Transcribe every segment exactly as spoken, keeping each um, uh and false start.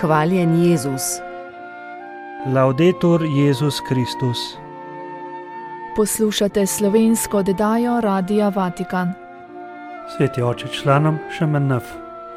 Hvaljen Jezus. Laudetur Jezus Kristus. Poslušate slovensko oddajo Radia Vatikan. Sveti oče, članom Š M N F,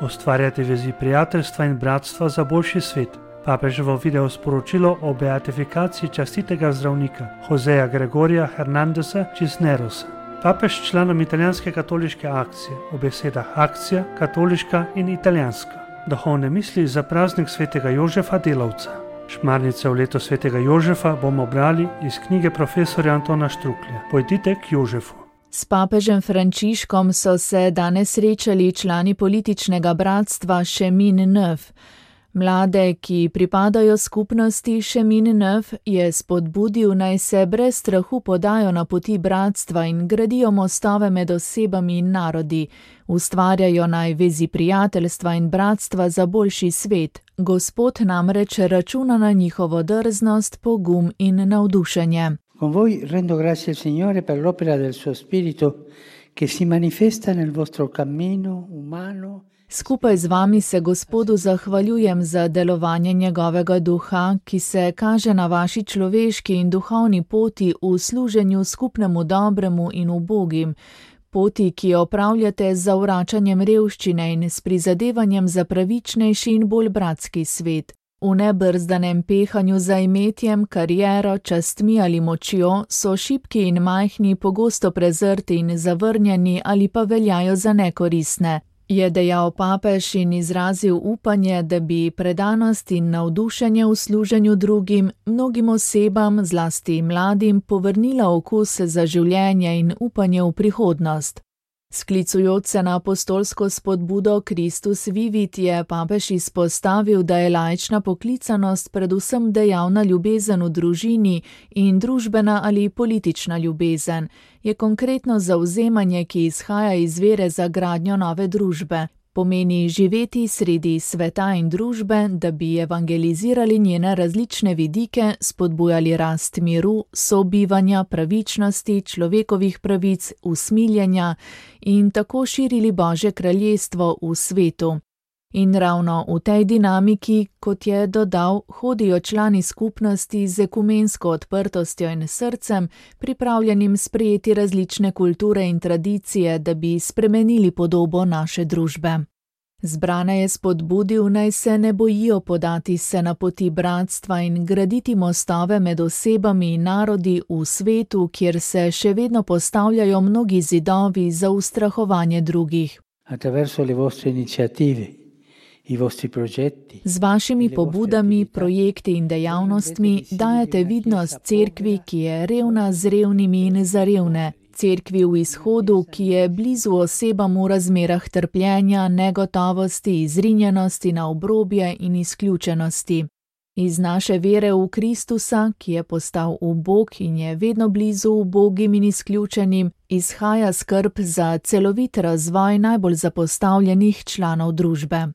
ustvarjate vezi prijateljstva in bratstva za boljši svet. Papeževo video sporočilo o beatifikaciji častitega zdravnika Joseja Gregorija Hernandesa Cisnerosa. Papež članom italijanske katoliške akcije o besedah akcija, katoliška in italijanska. Duhovne misli za praznik svetega Jožefa Delavca. Šmarnice v leto svetega Jožefa bomo brali iz knjige profesorja Antona Štruklja. Pojdite k Jožefu. S papežem Frančiškom so se danes srečali člani političnega bratstva Chemin Neuf. Mlade, ki pripadajo skupnosti Chemin Neuf, je spodbudil, naj se brez strahu podajo na poti bratstva in gradijo mostove med osebami in narodi, ustvarjajo naj vezi prijateljstva in bratstva za boljši svet. Gospod namreč računa na njihovo drznost, pogum in navdušenje. Con voi rendo grazie al Signore per l'opera del suo Spirito che si manifesta nel vostro cammino umano. Skupaj z vami se Gospodu zahvaljujem za delovanje njegovega duha, ki se kaže na vaši človeški in duhovni poti v služenju skupnemu dobremu in ubogim, poti, ki jo opravljate z zavračanjem revščine in s prizadevanjem za pravičnejši in bolj bratski svet. V nebrzdanem pehanju za imetjem, kariero, častmi ali močjo so šibki in majhni pogosto prezrti in zavrnjeni ali pa veljajo za nekoristne. Je dejal papež in izrazil upanje, da bi predanost in navdušenje v služenju drugim mnogim osebam, zlasti mladim, povrnila okus za življenje in upanje v prihodnost. Sklicujoč se na apostolsko spodbudo Christus Vivit je papež izpostavil, da je laična poklicanost predvsem dejavna ljubezen v družini in družbena ali politična ljubezen. Je konkretno zavzemanje, ki izhaja iz vere za gradnjo nove družbe. Pomeni živeti sredi sveta in družbe, da bi evangelizirali njene različne vidike, spodbujali rast miru, sobivanja, pravičnosti, človekovih pravic, usmiljenja in tako širili Božje kraljestvo v svetu. In ravno v tej dinamiki, kot je dodal, hodijo člani skupnosti z ekumensko odprtostjo in srcem, pripravljenim sprejeti različne kulture in tradicije, da bi spremenili podobo naše družbe. Zbrane je spodbudil, naj se ne bojijo podati se na poti bratstva in graditi mostove med osebami in narodi v svetu, kjer se še vedno postavljajo mnogi zidovi za ustrahovanje drugih. Attraverso le vostre iniziative. Z vašimi pobudami, projekti in dejavnostmi dajete vidnost cerkvi, ki je revna z revnimi in za revne, cerkvi v izhodu, ki je blizu osebam v razmerah trpljenja, negotovosti, izrinjenosti na obrobje in izključenosti. Iz naše vere v Kristusa, ki je postal ubog in je vedno blizu ubogim in izključenim, izhaja skrb za celovit razvoj najbolj zapostavljenih članov družbe.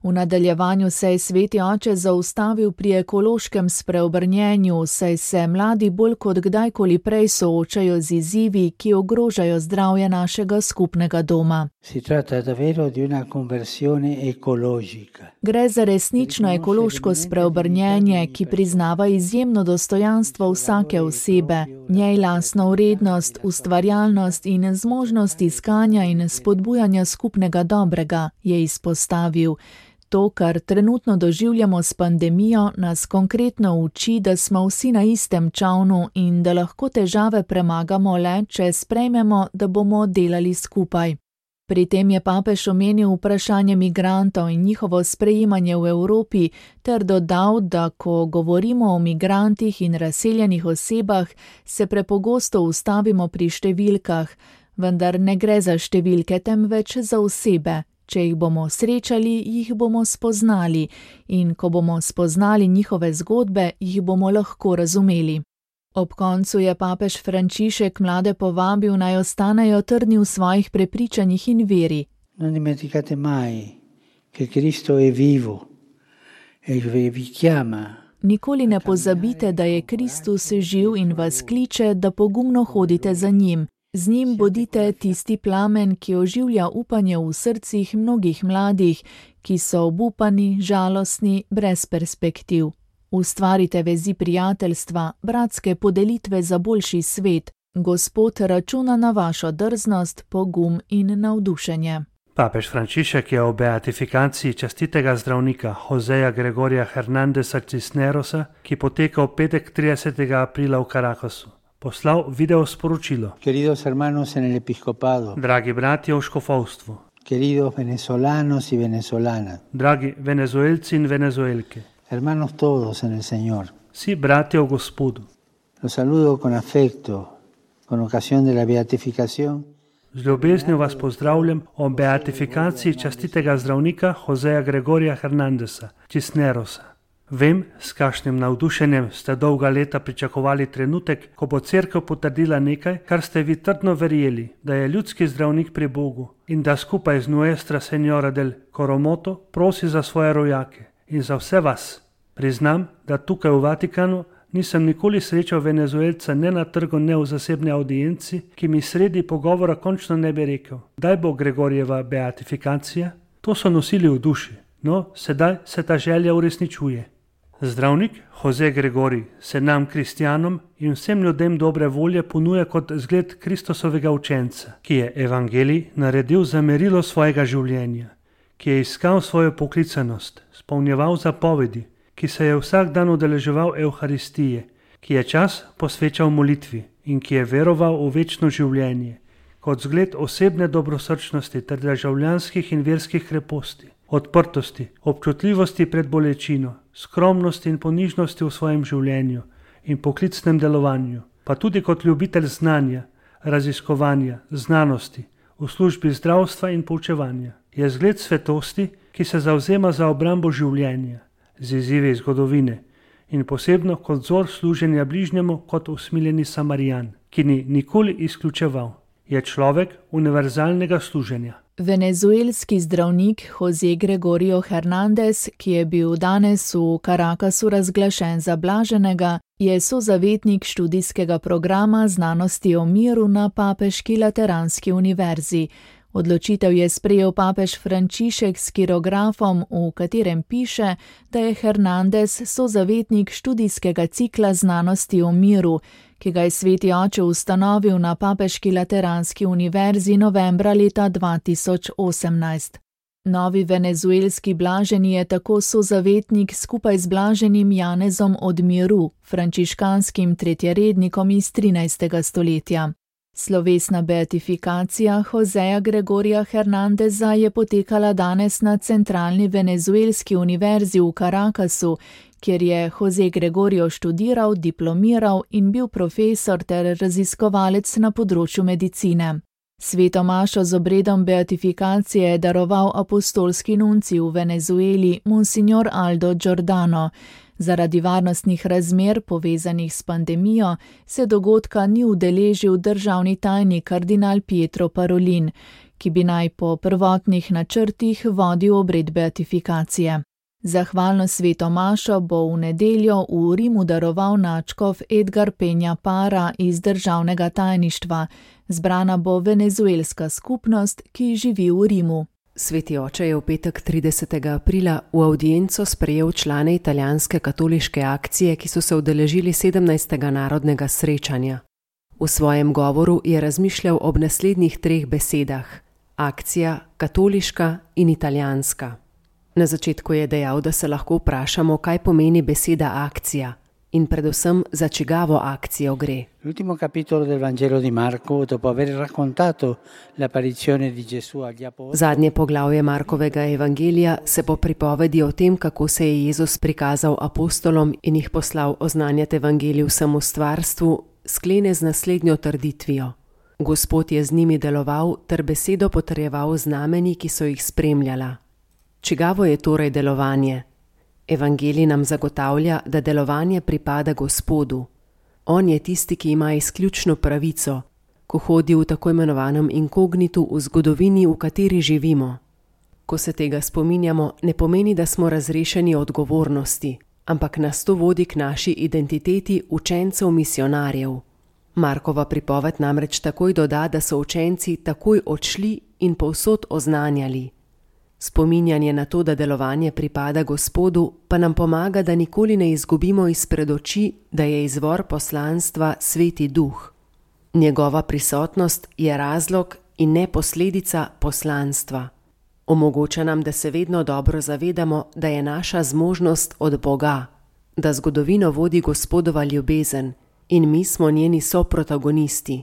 V nadaljevanju se je sveti oče zaustavil pri ekološkem spreobrnjenju, saj se mladi bolj kot kdajkoli prej soočajo z izzivi, ki ogrožajo zdravje našega skupnega doma. Si tratta davvero di una conversione ecologica. Gre za resnično ekološko spreobrnjenje, ki priznava izjemno dostojanstvo vsake osebe, njej lastno vrednost, ustvarjalnost in zmožnost iskanja in spodbujanja skupnega dobrega, je izpostavil. To, kar trenutno doživljamo s pandemijo, nas konkretno uči, da smo vsi na istem čavnu in da lahko težave premagamo le, če sprejmemo, da bomo delali skupaj. Pri tem je papež omenil vprašanje migrantov in njihovo sprejemanje v Evropi ter dodal, da ko govorimo o migrantih in razseljenih osebah, se prepogosto ustavimo pri številkah, vendar ne gre za številke, temveč za osebe. Če jih bomo srečali, jih bomo spoznali in ko bomo spoznali njihove zgodbe, jih bomo lahko razumeli. Ob koncu je papež Frančišek mlade povabil, naj ostanejo trdni v svojih prepričanjih in veri. Non dimenticate mai che Cristo è vivo e vi chiama. Nikoli ne pozabite, da je Kristus živ in vas kliče, da pogumno hodite za njim. Z njim bodite tisti plamen, ki oživlja upanje v srcih mnogih mladih, ki so obupani, žalostni, brez perspektiv. Ustvarite vezi prijateljstva, bratske podelitve za boljši svet. Gospod računa na vašo drznost, pogum in navdušenje. Papež Frančišek je o beatifikaciji častitega zdravnika Joseja Gregorija Hernandesa Cisnerosa, ki poteka v petek tridesetega aprila v Caracasu, poslal video sporočilo. Queridos hermanos en el episcopado, Dragi bratje v škofovstvu, queridos venezolanos y venezolanas, dragi venezuelci in venezuelke, hermanos todos en el Señor. vsi bratje v Gospodu. Los saludo con afecto, con ocasión de la beatificación Z ljubeznijo vas pozdravljam o beatifikaciji častitega zdravnika Joseja Gregorija Hernandesa Cisnerosa. Vem, s kakšnim navdušenjem ste dolga leta pričakovali trenutek, ko bo cerkev potrdila nekaj, kar ste vi trdno verjeli, da je ljudski zdravnik pri Bogu in da skupaj z Nuestra Señora del Coromoto prosi za svoje rojake in za vse vas. Priznam, da tukaj v Vatikanu nisem nikoli srečal Venezuelca ne na trgu, ne v zasebni audienci, ki mi sredi pogovora končno ne bi rekel, daj bo Gregorjeva beatifikacija. To so nosili v duši, no sedaj se ta želja uresničuje. Zdravnik Jose Gregorij se nam, kristjanom in vsem ljudem dobre volje ponuja kot zgled Kristusovega učenca, ki je evangelij naredil za merilo svojega življenja, ki je iskal svojo poklicanost, spolnjeval zapovedi, ki se je vsak dan udeleževal Evharistije, ki je čas posvečal molitvi in ki je veroval v večno življenje, kot zgled osebne dobrosrčnosti ter državljanskih in verskih kreposti, odprtosti, občutljivosti pred bolečino, skromnosti in ponižnosti v svojem življenju in poklicnem delovanju, pa tudi kot ljubitelj znanja, raziskovanja, znanosti, v službi zdravstva in poučevanja. Je zgled svetosti, ki se zavzema za obrambo življenja, z izzivi zgodovine in posebno kot vzor služenja bližnjemu kot usmiljeni Samarijan, ki ni nikoli izključeval. Je človek univerzalnega služenja. Venezuelski zdravnik Jose Gregorio Hernandez, ki je bil danes v Caracasu razglašen za blaženega, je sozavetnik študijskega programa znanosti o miru na Papeški Lateranski univerzi. Odločitev je sprejel papež Frančišek s kirografom, v katerem piše, da je Hernandez sozavetnik študijskega cikla znanosti o miru, ki ga je sveti oče ustanovil na Papeški Lateranski univerzi novembra leta dva tisoč osemnajst. Novi venezuelski blaženi je tako sozavetnik skupaj z blaženim Janezom od miru, frančiškanskim tretjerednikom iz trinajstega stoletja. Slovesna beatifikacija Joseja Gregorija Hernandeza je potekala danes na centralni venezuelski univerzi v Caracasu, kjer je Jose Gregorio študiral, diplomiral in bil profesor ter raziskovalec na področju medicine. Sveto mašo z obredom beatifikacije je daroval apostolski nuncij v Venezueli, monsignor Aldo Giordano. Zaradi varnostnih razmer povezanih s pandemijo se dogodka ni udeležil državni tajnik kardinal Pietro Parolin, ki bi naj po prvotnih načrtih vodil obred beatifikacije. Zahvalno sveto mašo bo v nedeljo v Rimu daroval nadškof Edgar Penja Para iz državnega tajništva. Zbrana bo venezuelska skupnost, ki živi v Rimu. Sveti oče je v petek tridesetega aprila v avdienco sprejel člane italijanske katoliške akcije, ki so se udeležili sedemnajstega narodnega srečanja. V svojem govoru je razmišljal ob naslednjih treh besedah: akcija, katoliška in italijanska. Na začetku je dejal, da se lahko vprašamo, kaj pomeni beseda akcija in predvsem za čigavo akcijo gre. L'ultimo capitolo del Vangelo di Marco, dopo aver raccontato l'apparizione di Gesù agli apostoli. Zadnje poglavje Markovega evangelija se po pripovedi o tem, kako se je Jezus prikazal apostolom in jih poslal oznanjati evangelij vsemu stvarstvu, sklene z naslednjo trditvijo: Gospod je z njimi deloval ter besedo potrjeval znamenji, ki so jih spremljala. Čigavo je torej delovanje? Evangelij nam zagotavlja, da delovanje pripada Gospodu. On je tisti, ki ima izključno pravico, ko hodi v tako imenovanem inkognitu v zgodovini, v kateri živimo. Ko se tega spominjamo, ne pomeni, da smo razrešeni odgovornosti, ampak nas to vodi k naši identiteti učencev misionarjev. Markova pripoved namreč takoj doda, da so učenci takoj odšli in povsod oznanjali. Spominjanje na to, da delovanje pripada Gospodu, pa nam pomaga, da nikoli ne izgubimo izpred oči, da je izvor poslanstva Sveti Duh. Njegova prisotnost je razlog in ne posledica poslanstva. Omogoča nam, da se vedno dobro zavedamo, da je naša zmožnost od Boga, da zgodovino vodi Gospodova ljubezen in mi smo njeni soprotagonisti.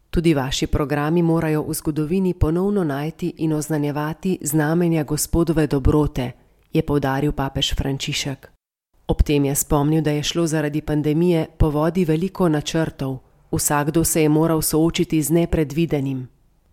Tudi vaši programi morajo v zgodovini ponovno najti in oznanjevati znamenja Gospodove dobrote, je poudaril papež Frančišek. Ob tem je spomnil, da je šlo zaradi pandemije po vodi veliko načrtov. Vsakdo se je moral soočiti z nepredvidenim.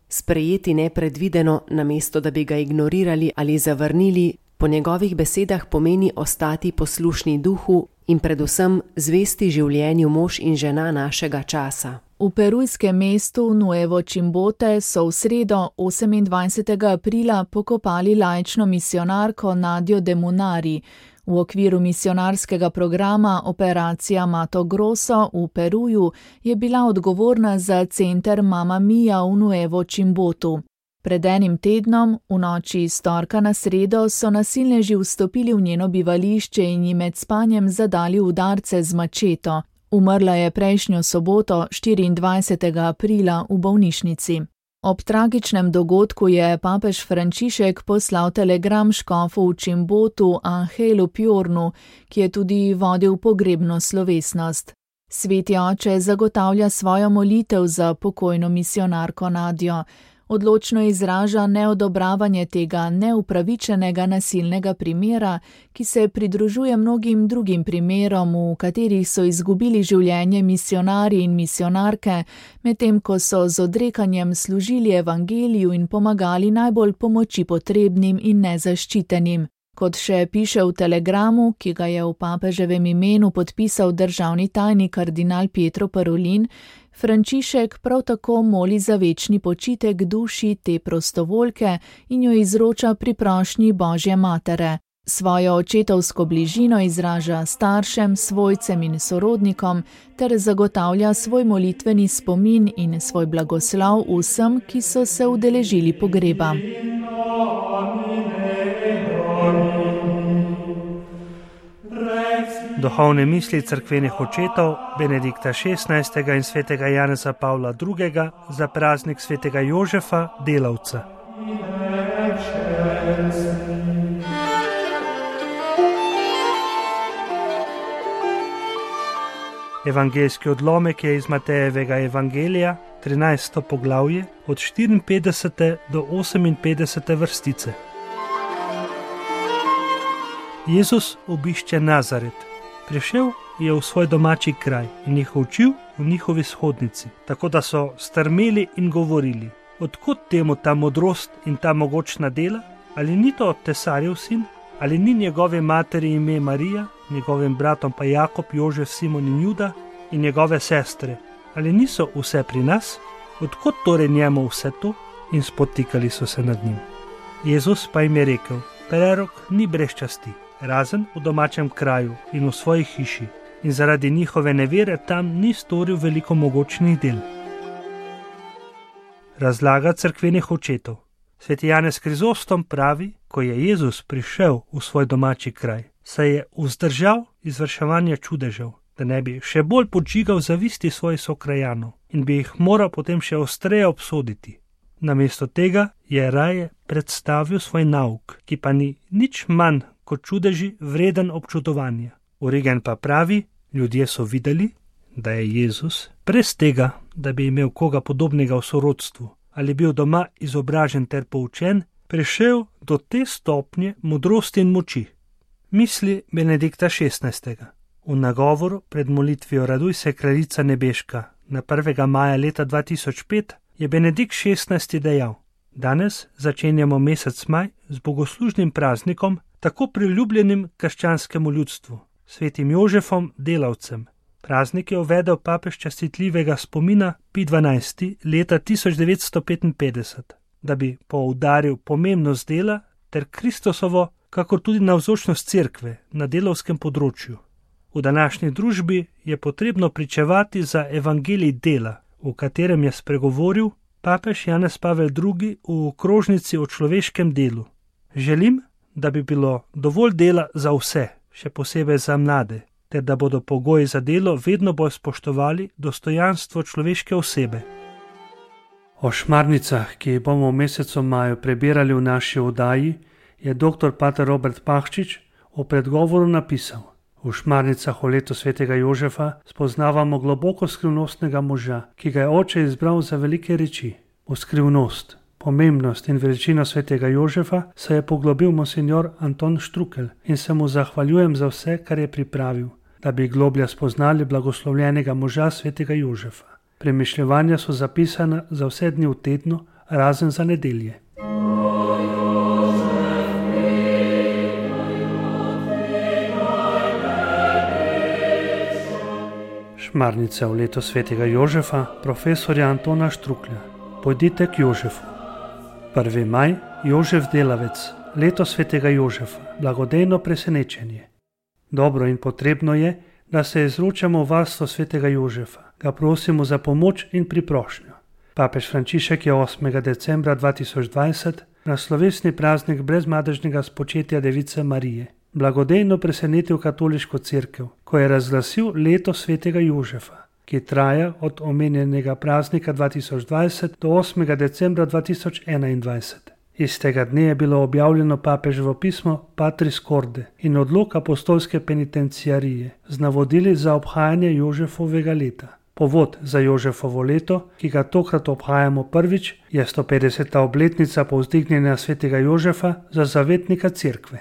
Sprejeti nepredvideno, namesto da bi ga ignorirali ali zavrnili, po njegovih besedah pomeni ostati poslušni duhu in predvsem zvesti življenju mož in žena našega časa. V perujskem mestu Nuevo Chimbote so v sredo osemindvajsetega aprila pokopali laično misionarko Nadjo de Munari. V okviru misionarskega programa Operacija Mato Grosso v Peruju je bila odgovorna za center Mama Mia v Nuevo Chimbotu. Pred enim tednom, v noči iz torka na sredo, so nasilneži vstopili v njeno bivališče in ji med spanjem zadali udarce z mačeto. Umrla je prejšnjo soboto, štiriindvajsetega aprila, v bolnišnici. Ob tragičnem dogodku je papež Frančišek poslal telegram škofu v Chimbotu Angelu Pjornu, ki je tudi vodil pogrebno slovesnost. Sveti oče zagotavlja svojo molitev za pokojno misionarko Nadjo. Odločno izraža neodobravanje tega neupravičenega nasilnega primera, ki se pridružuje mnogim drugim primerom, v katerih so izgubili življenje misionarji in misionarke, medtem ko so z odrekanjem služili evangeliju in pomagali najbolj pomoči potrebnim in nezaščitenim. Kot še piše v telegramu, ki ga je v papeževem imenu podpisal državni tajnik kardinal Pietro Parolin, Frančišek prav tako moli za večni počitek duši te prostovoljke in jo izroča pri prošnji Božje matere. Svojo očetovsko bližino izraža staršem, svojcem in sorodnikom ter zagotavlja svoj molitveni spomin in svoj blagoslov vsem, ki so se udeležili pogreba. Duhovne misli cerkvenih očetov Benedikta šestnajstega in svetega Janeza Pavla drugega za praznik svetega Jožefa, delavca. Evangeljski odlomek je iz Matejevega evangelija, trinajsto poglavje, od štiriinpetdesete do oseminpetdesete vrstice. Jezus obišče Nazaret. Prišel je v svoj domači kraj in jih učil v njihovi shodnici, tako da so strmeli in govorili: odkot temu ta modrost in ta mogočna dela? Ali ni to tesarjev sin? Ali ni njegove materi ime Marija, njegovim bratom pa Jakob, Jožef, Simon in Juda in njegove sestre? Ali niso vse pri nas? Odkot torej njemu vse to? In spotikali so se nad njim. Jezus pa jim je rekel: prerok ni brez časti, razen v domačem kraju in v svoji hiši, in zaradi njihove nevere tam ni storil veliko mogočnih del. Razlaga cerkvenih očetov. Sveti Janez Krizostom pravi, ko je Jezus prišel v svoj domači kraj, se je vzdržal izvrševanja čudežev, da ne bi še bolj podžigal zavisti svojih sokrajanov in bi jih moral potem še ostreje obsoditi. Namesto tega je raje predstavil svoj nauk, ki pa ni nič manj kot čudeži vreden občudovanja. Origen pa pravi, ljudje so videli, da je Jezus, brez tega, da bi imel koga podobnega v sorodstvu ali bil doma izobražen ter poučen, prišel do te stopnje modrosti in moči. Misli Benedikta šestnajstega. V nagovoru pred molitvijo Raduj se kraljica nebeška na prvega maja leta dva tisoč pet je Benedikt šestnajsti dejal: danes začenjamo mesec maj z bogoslužnim praznikom, tako priljubljenim krščanskemu ljudstvu, svetim Jožefom, delavcem. Praznik je uvedel papež častitljivega spomina Pij dvanajsti leta tisoč devetsto petinpetdeset, da bi poudaril pomembnost dela ter Kristusovo, kakor tudi navzočnost cerkve na delavskem področju. V današnji družbi je potrebno pričevati za evangelij dela, v katerem je spregovoril papež Janez Pavel drugi v okrožnici o človeškem delu. Želim, da bi bilo dovolj dela za vse, še posebej za mlade, ter da bodo pogoji za delo vedno bolj spoštovali dostojanstvo človeške osebe. O šmarnicah, ki jih bomo v mesecu maju prebirali v naši oddaji, je dr. pater Robert Pahčič v predgovoru napisal: v šmarnicah o letu svetega Jožefa spoznavamo globoko skrivnostnega moža, ki ga je oče izbral za velike reči. V skrivnost, pomembnost in veličino svetega Jožefa se je poglobil monsignor Anton Štrukelj in se mu zahvaljujem za vse, kar je pripravil, da bi globlje spoznali blagoslovljenega moža svetega Jožefa. Premišljevanja so zapisana za vse dni v tednu, razen za nedelje. Šmarnice v letu svetega Jožefa, profesorja Antona Štruklja. Pojdite k Jožefu. prvi maj, Jožef delavec, leto svetega Jožefa, blagodejno presenečenje. Dobro in potrebno je, da se izročamo v varstvo svetega Jožefa, ga prosimo za pomoč in priprošnjo. Papež Frančišek je osmega decembra dva tisoč dvajset na slovesni praznik brezmadežnega spočetja Device Marije blagodejno presenetil katoliško cerkev, ko je razglasil leto svetega Jožefa, ki traja od omenjenega praznika dva tisoč dvajset do osmega decembra dva tisoč enaindvajset. Istega dne je bilo objavljeno papeževo pismo Patris Corde in odlok apostolske penitenciarije z navodili za obhajanje Jožefovega leta. Povod za Jožefovo leto, ki ga tokrat obhajamo prvič, je stopetdeseta obletnica povzdignjenja svetega Jožefa za zavetnika cerkve.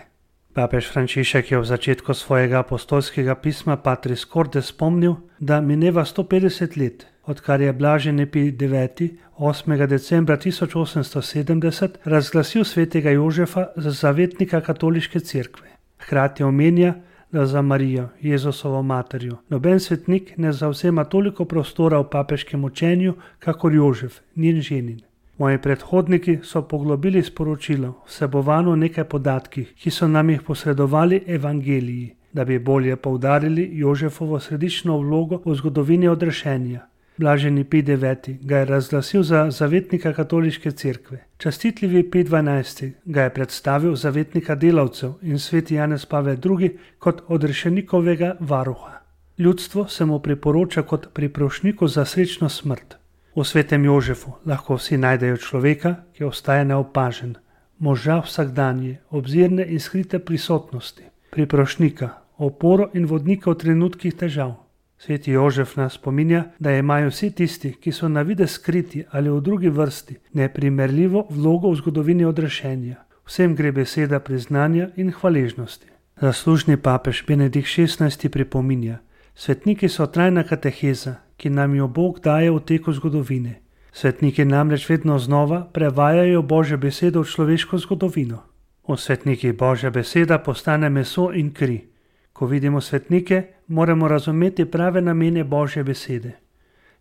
Papež Frančišek je v začetku svojega apostolskega pisma Patris Corde spomnil, da mineva sto petdeset let, odkar je Blaženi Pij deveti osmega decembra tisoč osemsto sedemdeset razglasil svetega Jožefa za zavetnika katoliške cerkve. Hkrati omenja, da za Marijo, Jezusovo materjo, noben svetnik ne zavzema toliko prostora v papeškem učenju, kakor Jožef, njen ženin. Moji predhodniki so poglobili sporočilo, vsebovano v nekaj podatkih, ki so nam jih posredovali evangeliji, da bi bolje poudarili Jožefovo središčno vlogo v zgodovini odrešenja. Blaženi Pij deveti ga je razglasil za zavetnika katoliške cerkve. Častitljivi Pij dvanajsti ga je predstavil zavetnika delavcev in sveti Janez Pavel drugi kot odrešenikovega varuha. Ljudstvo se mu priporoča kot priprošniku za srečno smrt. V svetem Jožefu lahko vsi najdejo človeka, ki ostaja neopažen, moža vsakdanje, obzirne in skrite prisotnosti, priprošnika, oporo in vodnika v trenutkih težav. Sveti Jožef nas spominja, da imajo vsi tisti, ki so na videz skriti ali v drugi vrsti, neprimerljivo vlogo v zgodovini odrešenja. Vsem gre beseda priznanja in hvaležnosti. Zaslužni papež Benedikt šestnajsti pripominja: svetniki so trajna kateheza, ki nam jo Bog daje v teku zgodovine. Svetniki namreč vedno znova prevajajo Božjo besedo v človeško zgodovino. V svetnikih Božja beseda postane meso in kri. Ko vidimo svetnike, moramo razumeti prave namene Božje besede.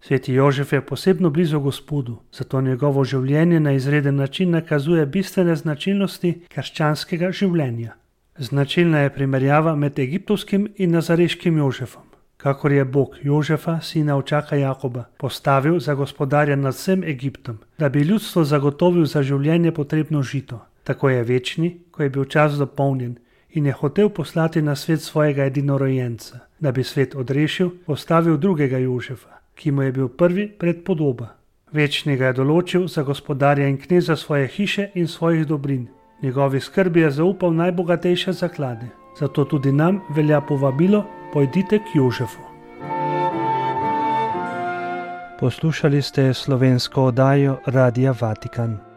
Sveti Jožef je posebno blizu Gospodu, zato njegovo življenje na izreden način nakazuje bistvene značilnosti krščanskega življenja. Značilna je primerjava med egiptovskim in nazareškim Jožefom. Kakor je Bog Jožefa, sina očaka Jakoba, postavil za gospodarja nad vsem Egiptom, da bi ljudstvo zagotovil za življenje potrebno žito. Tako je večni, ko je bil čas dopolnjen in je hotel poslati na svet svojega edinorojenca, da bi svet odrešil, postavil drugega Jožefa, ki mu je bil prvi predpodoba. Večni ga je določil za gospodarja in kneza svoje hiše in svojih dobrin. Njegovi skrbi je zaupal najbogatejše zaklade. Zato tudi nam velja povabilo: pojdite k Jožefu. Poslušali ste slovensko oddajo Radia Vatikan.